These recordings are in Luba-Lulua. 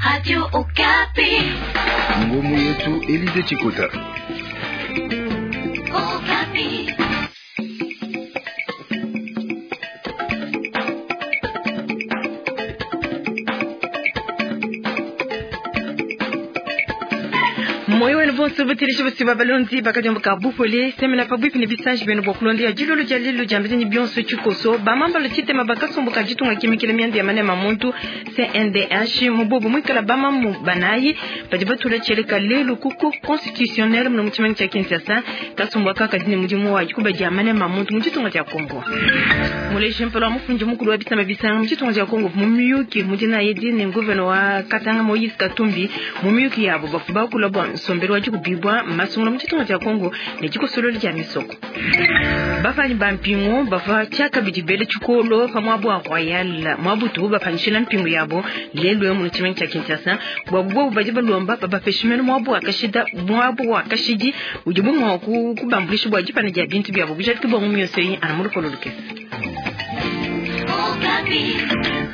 Radio Okapi. Ngomu yetu Elize Chikota. Okapi. Moyo wenu bonso butilishi busiba balonzi bakadiomboka bupole semena pabuipi ne bisanji benu bua kulonda dilolo dia lelo dia mbidini bionso tshikoso bamambalo tshitema bakasumbuka ditunga kimikila mianda ya manema muntu CNDH mubobo mwikala bamamu banayi badi batula tshieleka lelo ku cour constitutionnelle muno mu tshimenga tshia Kinshasa. Kasumbu aka kadi ne mudimu wa dikuba dia manema muntu mu ditunga dia Kongo. Muleji mpala wa mufundi mukulu wa bisamba bisanga mu ditunga dia Kongo mu miyuki mudina yedi ne nguvena wa Katanga Moïse Katumbi mu miyuki yabo bafu bakula bua nsombelu wa dikubibwa masungula mu ditunga dia Kongo ne dikosololo dia misoko. Bapanyi ba mpingu bava tshiakabidi bele tshikolo pa muabu wa Royal muabutu bapanyishila mpingu yabo lelu mu tshimenga tshia Kinshasa. Bua bobu badi balomba babapeshe mene muabu wa kashida muabu wa kashidi udibu mua kubambulisha bua dipana dia bintu biabo bujadiki bua mu mioso eyi ana mu lupolo lukese. Okapi.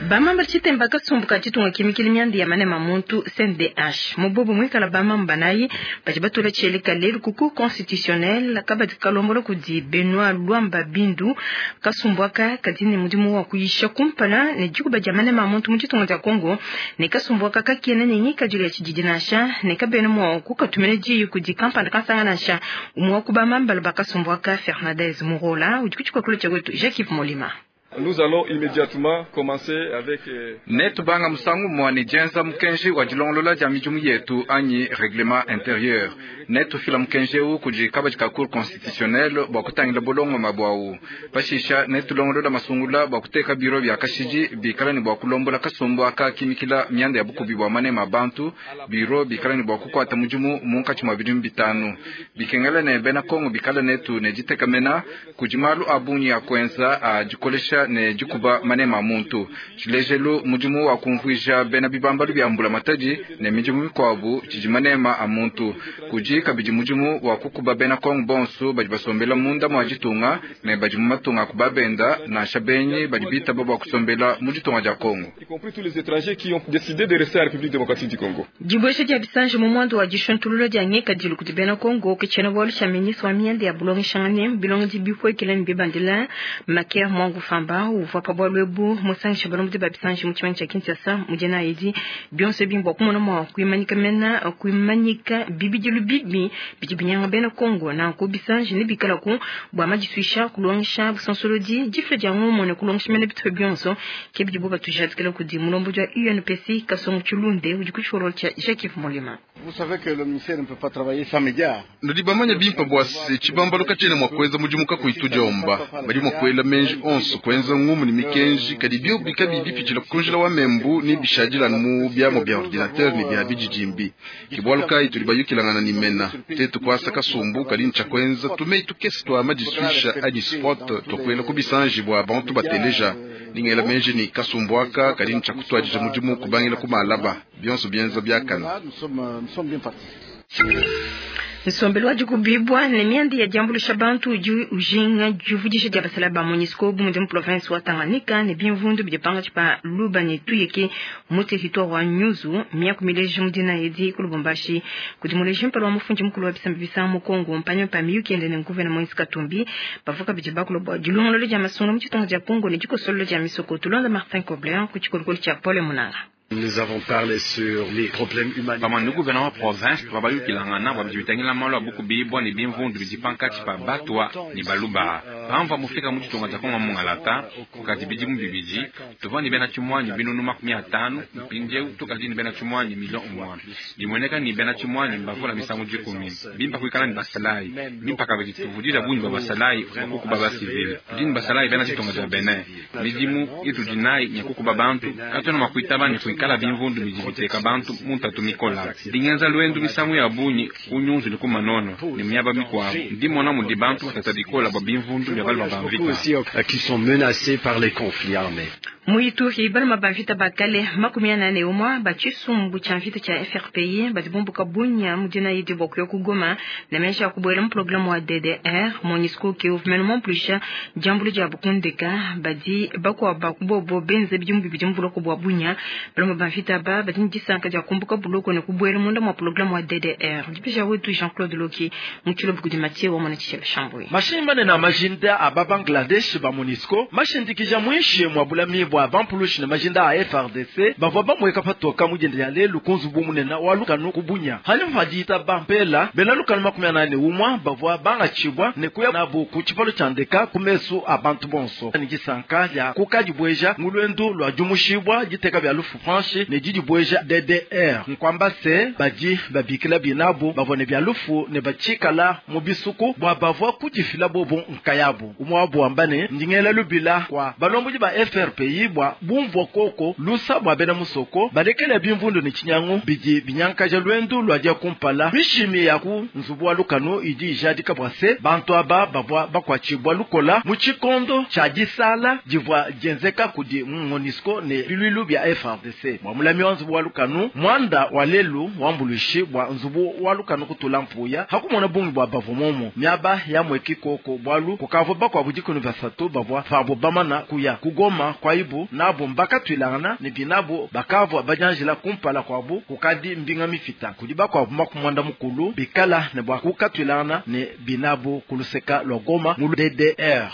Bamamba tshitemba kasumbu ka ditunga kimikili mianda ya manema muntu CNDH mubobo mwikala bamamba banayi badi batula tshieleka lelu ku cour constitutionnelle kabadi kalombola kudi Benoit Luamba Bindu. Kasumbu aka kadi ne mudimu wa kuyisha kumpala ne dikuba dia manema muntu mu ditunga dia Kongo ne kasumbu aka kakena ne ngikadilu ya tshididi nansha ne kabena mua kukatumina diyi kudi kampanda kansanga nansha. Umue wa ku bamambala ba kasumbu aka Fernandez Murola udi ku tshikokolo tshia wetu Jacques Molima. Nous allons immédiatement commencer avec Netubanga musangu umue ne dienza mukenji wa dilongolola dia midimu yetu anyi règlement intérieur. Netufila mukenji eu kudi kabadi ka cour constitutionnelle bua kutangila bulongoma buawu. Pashisha netulongolola masungula bua kuteka biro bia kashidi bikala ne bua kulombola kasumbu aka kimikila mianda ya bukubi bua manema a bantu. Biro bikala ne bua kukuata mudimu munkatshi mua bidimu bitanu. Bikengela ne bena Kongo bikala netu ne ditekamena kudi malu a bungi a kuenza a dikolesha ne dikuba manema a muntu. Tshilejelu mudimu wa kumvuija bena bibambalu bia mbulamatadi ne midimu mikuabu tshidi manema a muntu. Kudi kabidi mudimu wa kukuba bena Kongo bonso badi basombela munda mua ditunga ne badi mu matunga a kubabenda nansha benyi badi bitaba bua kusombela mu ditunga dia Kongo. Y compris tous les étrangers qui ont décidé de rester à la République démocratique du Congo. Dibuesha dia bisanji mu muanda wa dishuntulula dia ngikadilu kudi bena Kongo ke tshiena bualu tshia ministre wa mianda ya bulongeshangane bilongedi bipuekele ne bibandila Maker Mwangu Famba uvua pa bualu ebu musangisha balombodi ba bisanji mu tshimenga tshia Kinshasa mu dina edi bionso ebi mbua kumona mua kuimanyika mena kuimanyika bibidilu bibi bidi binyanga bena Kongo. Nanku bisanji nebikalaku bua madisuisha kulongesha busansolodi difila dia ngumu ne kulongesha mena bitupa bionso ke bidibo batujadikila kudi mulombodi wa UNPC Kasongo Tshilunde udi ku tshikololo tshia Jacques Molima. Vous savez que le ministère ne peut pas travailler sans médias. Nudi bamanya bimpe bua se tshibambalu katshiena mua kuenza mudimu kakuyi tudiomba. Badi mua kuela menji onso kuenza ngumu ne mikenji kadi biobi kabiyi bipitshila ku njila wa membu ne bishadila mu biamu bia ordinateur ne bia bididimbi. Ke bualu kayi tudi bayukilangana ne mena tetu kuasa kasumbu kadi ntshia kuenza tumeyi tukese tua madisuisha anyi spot tuakuela ku bisanji bua bantu bateleja. Ningela menji ni kasumbu aka kadi ntshia kutuadija mudimu kubangila ku malaba bionso bienza biakana. Là, nous sommes bien partis. Nsombelu wa dikubibwa ne mianda ya diambulisha bantu udi ujinga divudisha dia basala ba MONUSCO bu mudi mu province wa Tanganyika ne bimvundu bidi pangatshi pa Luba ne Tuyeke mu territoire wa Nyuzu miaku mileji mu dina edi ku Lubumbashi kudi muleji mpala wa mufundi mukulu wa bisamba bisanga mu Kongo mpanyima pa miyuki yende ne nguvena Moïse Katumbi bavua kabidi bakula bua dilongolola dia masungula mu ditunga dia Kongo ne dikosololo dia misoko. Tulonda Martin Kobler ku tshikolokolo tshia Paul Munanga. Nous avons parlé sur les problèmes Pamue ne humanitaires. guvena wa province tuvua bayukilangana bua bidi bitangila malu a bukubibua ne bimvundu bidi pankatshi pa batwa ne baluba. Pamvua mufika mu ditunga dia Kongo mungalata kukadi bidimu bibidi tuvua ne bena tshimuanyi binunu 50, mpindieu tukadi ne bena tshimuanyi milio umue. Bimueneka ne bena tshimuanyi mbavula misangu 10. Bimpa kuikala ne basalayi bimpa kabidi tuvudija bungi bua basalayi bua kukuba basivile. Tudi ne basalayi bena ditunga dia Benin. Midimu itudi nayi nya kukuba bantu katuena mua kuitaba ne kuikala bimvundu bidi biteka bantu mu ntatu mikola. Ndingenza lwendu misangu ya bungi ku Nyunzu ne ku Manono ne miaba mikuabu. Ndimona mudi bantu batata bikola bua bimvundu bia baluma ba mvita. Aussi qui sont menacés par les conflits armés. Mu Ituri baluma ba mvita ba kale 41 ba tshisumbu tshia mvita tshia FRPI badi bumbuka Bunia mu dina idi bua kuya ku Goma ne meji a kubuela mu programme wa DDR. MONUSCO ke uvumene muampuluisha diambulu dia bukundeka badi bakuabu kubobo benze bidimu bibidi mu buloko bua Bunia. Baluma ba mvita aba badi ne disanka dia kumbuka buloko ne kubuela munda mua programme wa DDR. Dipisha wetu Jean-Claude Loki mu tshilobo kudi Mathieu wa mwana Tshishela Shambui. Mashinyi manene a majinda a ba Bangladesh ba MONUSCO mashindikija muinshi mua bulami bua bampulushi ne majinda a FARDC bavua bamueka patoka mujende ya lelu ku nzubu munene wa lukanu ku Bunia. Hanyuma padita bampela bena lukanu 41 bavua bangatshibwa ne kuya nabu ku tshipalo tshia ndeka ku mesu a bantu bonso. Ni disanka dia kukadibueja mu lwendu lua diumushibwa diteka bia lufu franche ne didibueja DDR. Nkwamba se badi babikila binabu bavua ne bia lufu ne batshikala mu bisuku bua bavua kudifila bobo nkayabu. Umwe wabu wamba ne ndingela lubila kwa balomboji ba FRPI bua bumvua koko lusa bua bena musoko balekele bimvundu ne tshinyangu bidi binyankaja lwendu lua dia kumpala. Mishimi ya ku nzubu wa lukanu idi ijadika bua se bantu aba bavua bakuatshibua lukola mu tshikondo tshia disala divua dienzeka kudi MONUSCO ne biluilu bia FARDC. Bua mulami wa nzubu wa lukanu mwanda wa lelu wambuluishi bua nzubu wa lukanu kutula mpuya hakumona bungi bua bavua momo miaba ya mweki koko bwalu kukavua bakuabu dikunu basatu bavua pabo bamana kuya kugoma kwa ibu nabo mbakatwilangana ne binabo bakavua bajanjila kumpala kwabu kukadi mbinga mifita kudi bakuabu makumwanda mukulu bikala ne bua kukatwilangana ne binabo kuluseka lwa Goma mu DDR.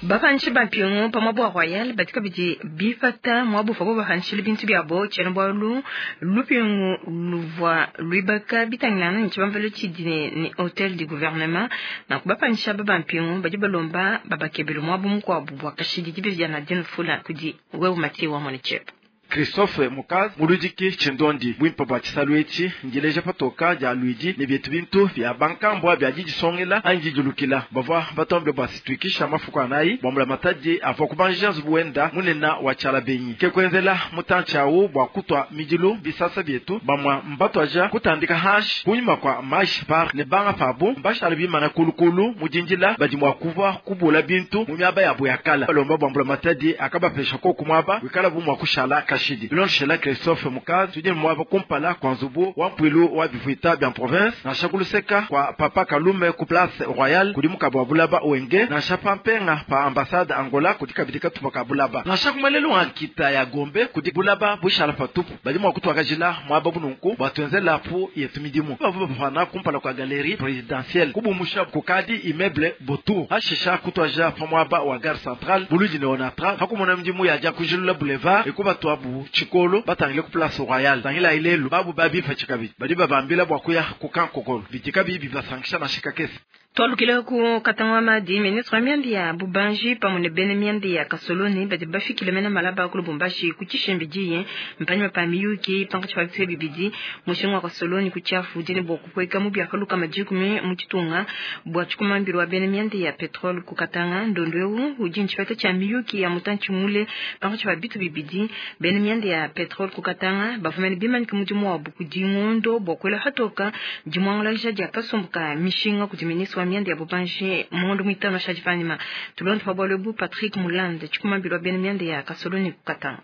Bapanshi bampingu pa mwabu wa Royal batika bidi bifata mwabu fabo bahanshile bintu byabo tshiena bwalu lupingu luvua luibaka bitangilana ne tshibambalu tshidi ne hôtel du gouvernement. Na kubapansha babampingu badi balomba babakebele mwabu mukuabu bua kashidi dibe vya Nadine Fula kudi wewe Mathieu wa Monichep. Christophe Mukazi muludiki tshindondi bwimpa bua tshisalu etshi ndileja patoka dia luidi ne bietu bintu bia bankambua bia didisongela anyi didilukila bavua batombe bua situikisha mafuku anayi bua mulamatadi avua kubanja nzubu wenda munena wa tshiala benyi ke kuenzela mutantshi awu bua kutua midilu bisasa bietu bamua mbatuaja kutandika hashi kunyima kua mashi par ne banga pabu mbashala bimana kulukulu mudindila badi mua kuvua kubula bintu mu miaba yabo ya kala balomba bua mulamatadi akabapesha koku muaba wikala bu mua kushala kashi. Bilonshela Christophe Mukazi tudi mwaba kumpala kwa nzubu wa mpwilu wa bivuita bia province nansha kuluseka kwa papa Kalume ku place Royale kudi mukabu wa bulaba wenge nansha pampenga pa ambassade Angola kudi kabidi katupa ka bulaba nansha kumalelu wa nkita ya Gombe kudi bulaba bushala patupu badi mua kutuakajila mwaba bununku bua tuenzela pu yetu midimu bavu bafana kumpala kwa galerie présidentielle kubumusha kukadi immeuble botu hashisha kutuaja pa mwaba wa gare centrale buludi ne onatra hakumona midimu ya jakujilula boulevard ekubatwabu tshikolo batangile ku place Royale tangila ilelu babu babifa tshikabi badi babambila bua kuya kukankokolo bitika bibi basankisha na shikakesi. Twalukile ku katangwa madi ministre wa miambi ya bubanji pamwe ne bene miambi ya kasoloni badi bafikile mena malaba ku Lubumbashi ku tshishembe diye mpanyima pa miyuki pankatshi pa bipfe bibidi mushinga wa kasoloni ku tshiafu dine bua kupueka mu biakaluka madikumi mu tshitunga bua tshikumambilo wa bene miambi ya petrole ku Katanga. Ndondo eu udi ntshipeta tshia miyuki ya mutantshi mule pankatshi pa bitu bibidi bene miambi ya petrole ku Katanga bavumene bimanyike mudimu wabu kudi ngondo bua kuela hatoka dimuangalaja dia kasumbu ka mishinga kudi ministre wa mianda ya bubanji mundu mwitano shaji panima tulonde pa bwalo bu Patrick Mulande tshikumambilo wa bene mianda ya kasoloni ku Katanga.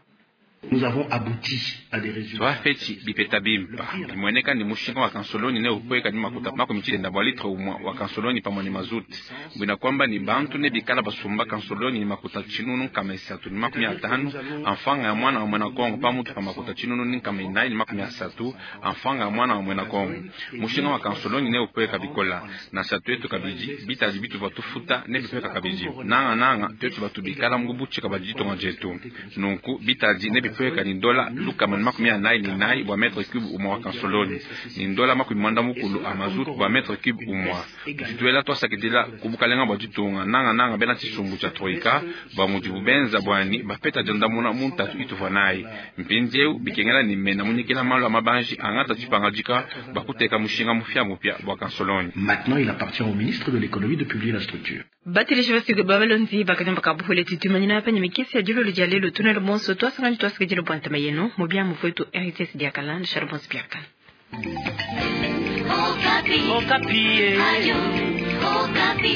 Nous avons abouti à des résultats. Twafeti bipeta bimpa bimueneka ni mushinga wa kansoloni ne ukweka ni makuta makumi tshitenda bua litre umwa wa kansoloni pamwe ni mazuti bwina kwamba ni bantu ne bikala basumba kansoloni ni makuta tshinunu nkama isatu ni 50 amfanga ya mwana wa mwena Kongo pamutu pa makuta tshinunu ni nkama inayi ni 30 amfanga ya mwana wa mwena Kongo. Mushinga wa kansoloni ne ukweka bikola na sa twetu kabidi bitaji bitu batufuta ne bipeka kabidi nanga nanga twetu batubikala mugubuchika bajitonga jetu nunku bitaji ne bipeka ni dola lukama ni 44 bwa mètre cube umwa wa kansoloni ni dola 80 a mazutu bwa mètre cube umwa tutwela twasakidila kubukalenga bwa ditunga nanga nanga bena tshisumbu tshia troika bwa mudibu benza bwani bapeta diandamuna muntatu ituvua nayi mpindieu bikengela ni mena munyikila malu a mabanji angata dipangadika bakuteka mushinga mupya mupya bwa kansoloni. Maintenant, il appartient au ministre de l'économie de publier la structure. Batilisha basiku babalonzi bakadimba kabuhule tutumanyina hapa nyamikisi ya jululu dia lelo tunelo bonso twasangani twasikijilo bwantama yenu mubya mufwetu RTS diakala ndishalo bonso biakala. Okapi. Okapi. Ayo. Okapi.